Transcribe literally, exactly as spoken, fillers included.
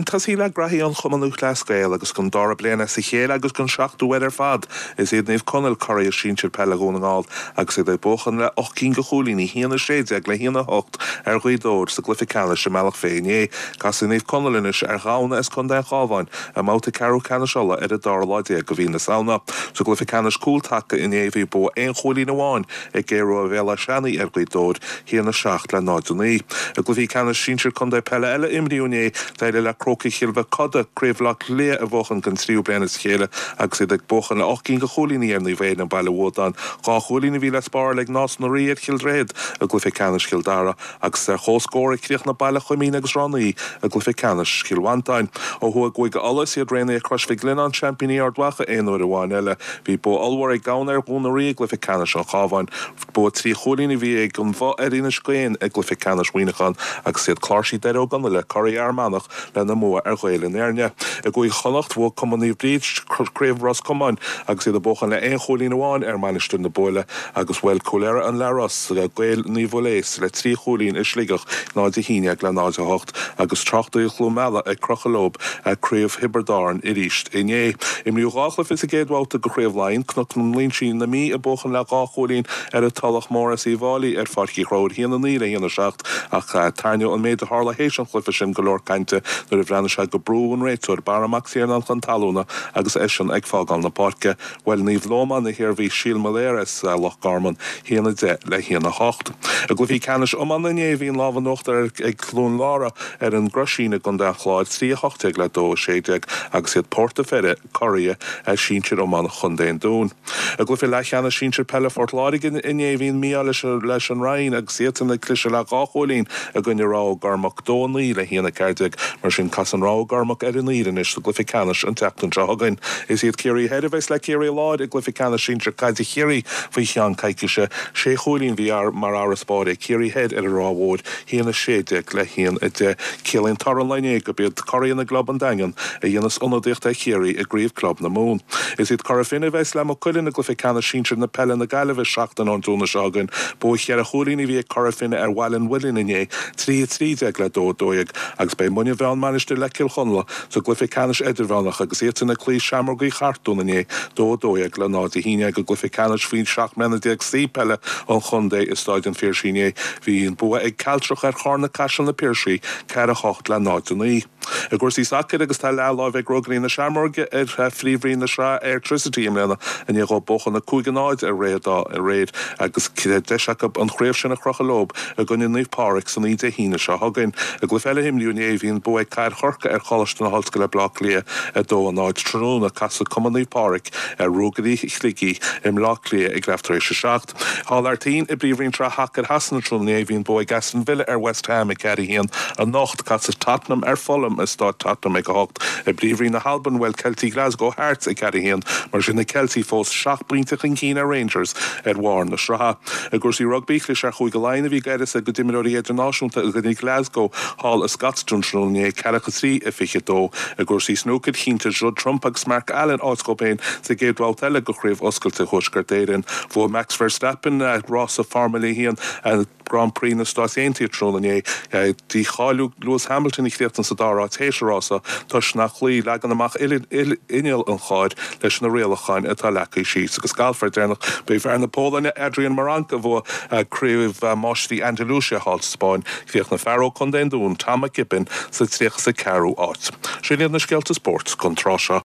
Tosaí le graithí an Chumann Lúthchleas Gael agus don dara bliain as a chéile agus don seachtú huair ar fad is iad Naomh Conaill curaidh sinsir peile Dhún na nGall agus iad ag buachan le ocht gcinn de chúilíní a haon a sé déag le haon a hocht ar Ghaoth Dobhair sa gcluiche ceannais i mBealach Féich inné. Casfaidh Naomh Conaill anois ar Ghamhna as Contae an Chabháin i mbabhta ceathrú ceannais Uladh ar an dara lá déag de mhí na Samhna. Sa gcluiche ceannais cúltaca inné bhí bua aon chúilín amháin ag Aodh Rua Bhéal Átha Seanaidh ar Ghaoth Dobhair a haon a seacht le náid a naoi. I gcluichí ceannais sinsir contae peile eile a imríodh inné d'éirigh le Crócaigh Chill Mhic Coda Craobh Bhaile Átha Cliath a bhuachan don tríú bliain as a chéile agus iad ag buachan le ocht gcinn de chúilíní ar Naomh Éanna Baile Bhuadáin. Dhá chúilín a bhí le spáráil ag Nás na Rí ar Chill Droichid i gcluiche ceannais Chill Dara agus ar comhscór a chríochnaigh Baile Choimín agus Ráth na Í i gcluiche ceannais Chill Mhantáin. Ó thuaidh i gCúige Uladh is iad Raonaithe Chrois Mhic Lionnáin seaimpíní Ard Mhacha aon uair amháin eile. Bhí bua ollmhór ag Gabhna ar Dhún na Rí i gcluiche ceannais an Chabháin. Bua trí chúilín a bhí ag an Bhoth ar Inis Caoin i gcluiche ceannais Mhuineacháin agus iad Cláirsí Doire Ó gConaile curaidh Fhear Manach lena mbua ar Ghaeil an Éirne. I gCúige Chonnacht bhuaigh Cumann Naomh Bríd Craobh Ros Comáin agus iad ag buachan le aon chúilín amháin ar Mainistir na Búille agus bhuail Cúil Earra an Leathros Gaeil Naomh Mhuiléas le trí chúilín i Sligeach náid a haon déag le náid a hocht agus Tráchtaí Chluain Meala ag crochadh leo Craobh Thiobraid Árann arís inné. Imríodh dhá chluiche sa gcéad bhabhta de Chraobh Laighean, Cnoc na Loingsigh na Mí ag buachan le dhá chúilín ar an Tulach Mhór as Uíbh Fhailí ar Pháirc Uí Chonchúir a haon a naoi le haon a seacht ach tarraingíodh an méid a tharla théis an chluiche sin go leor cainte nuair a bhreathnaigh sé gur brúdh an réiteoir Barra Mac Tiarnáin chun talúna agus eisean ag fágáil na páirce. Bhuail Naomh Lómán na hIarmhí Síol Molaire as Loch Garman a haon a deich le haon a hocht. I gcluichí ceannais iomána inné bhí an lámh in uachtar ag Cluain Lára ar an gCroisín i gContae an Chláir trí a hocht déag le dó a sé déag agus iad Port a' Pheire curaidh sinsir iomána Chontae an Dúin. I gcluiche leathcheannais sinsir peile Phort Láirge inné bhí an mí-ádh leis leis an Rinn agus iadsan ag cliseadh le dhá chúilín i gcoinne Ráth Ó gCormac dó a naoi le haon a ceathair déag mar sin casann Ráth Ó gCormac ar an Aoire anois sa gcluiche ceannais an tseachtain seo chugainn. Is iad Ciarraí Thoir a bheas le Ciarraí Láir i gcluiche ceannais sinsir caide Chiarraí faoi cheann coicíse. Sé chúilín bhí mar fharasbarr ag Ciarraí Thoir ar an Ráth Mhór a haon a sé déag le haon a deich. Ciallaíonn toradh an lae inné gurb iad curaidh na gclub an Daingean a dhéanas ionadaíocht ar Chiarraí i gcraobh club na Mumhan. Is iad Cora Finne a bheas le Maigh Cuilinn i gcluiche ceannais sinsir na peile na Gaillimhe seachtain ón Domhnach seo chugainn. Bua cheithre chúilín a bhí ag Cora Finne ar Bhaile an Mhuilinn inné, trí a trí déag le dó a dó dhéag, agus beidh Muine Mheá Mainistir le Cill Chonla sa gcluiche ceannais idirmheánach agus iadsan ag cloí Seamrógaí Chartún inné, dó a dó dhéag le náid a haon déag i gcluiche ceannais faoi seacht mbliana déag C peile an chontae i Staid an Phiarsaigh inné. Bhí an bua ag Cealtrach ar Charna Caiseal na Piarsaigh, ceathair a hocht le náid a naoi. I gcúrsaí sacair agus tá leathláimh ag Ruagairí na Seamróige ar phríomhroinn na sraithe Airtricity i mbliana i ndiaidh dóibh buachan a cúig a náid ar Dhroichead Átha aréir agus deis acu an chraobh sin a chrochadh leo i gcoinne Naomh Pádraig san oíche Dé hAoine seo chugainn. I gcluiche eile a imríodh inné bhí an bua ag Cathair Chorcaí ar Choláiste na hOllscoile Baile Átha Cliath a dó a náid tráthnóna. Casfaidh Cumann Naomh Pádraig ar Ruagairí Shligigh i mBleá Cliath ag leath tar éis a seacht. Thall thar toinn i bPríomhroinn Sraith Shacair Shasana tráthnóna inné bhí an bua ag Aston Villa ar West Ham ag ceathair a haon. Anocht casfaidh Tottenham ar Fulham i Staid Tottenham ag a hocht. I bPríomhroinn na hAlban bhuail Ceiltigh Glasgow Hearts ag ceathair a haon. Mar sin na Ceiltigh fós seacht bpointe chun cinn ar Rangers ar bharr na sraithe. I gcúrsaí rugbaí chlis ar Chúige Laighean a bhí ag uireasa a gcuid imreoirí idirnáisiúnta i gcoinne Glasgow thall i Scotstoun tráthnóna inné ceathracha trí a fiche dó. I gcúrsaí snúcair chinntigh Judd Trump agus Mark Allen áit dóibh féin sa gcéad bhabhta eile de Chraobh Oscailte Thuaisceart Éireann. Bhuaigh Max Verstappen rása Formula a haon Grand Prix na Stát Aontaithe tráthnóna inné. Dícháiliú Lewis Hamilton a chríochnaigh sa dara háit théis an rása toisc nár chloígh leagan amach inneall an chairr leis na rialacháin atá leagtha síos. Agus galf ar deireanach b'é fear na Polainne Adrian Meronk a bhuaigh Craobh Máistrí Andalusia thall sa Spáinn. Chríochnaigh fear ó Chontae an Dúin Tom McKibbin sa tríocha is a ceathrú áit. Sin iad na scéalta spóirt don tráth seo.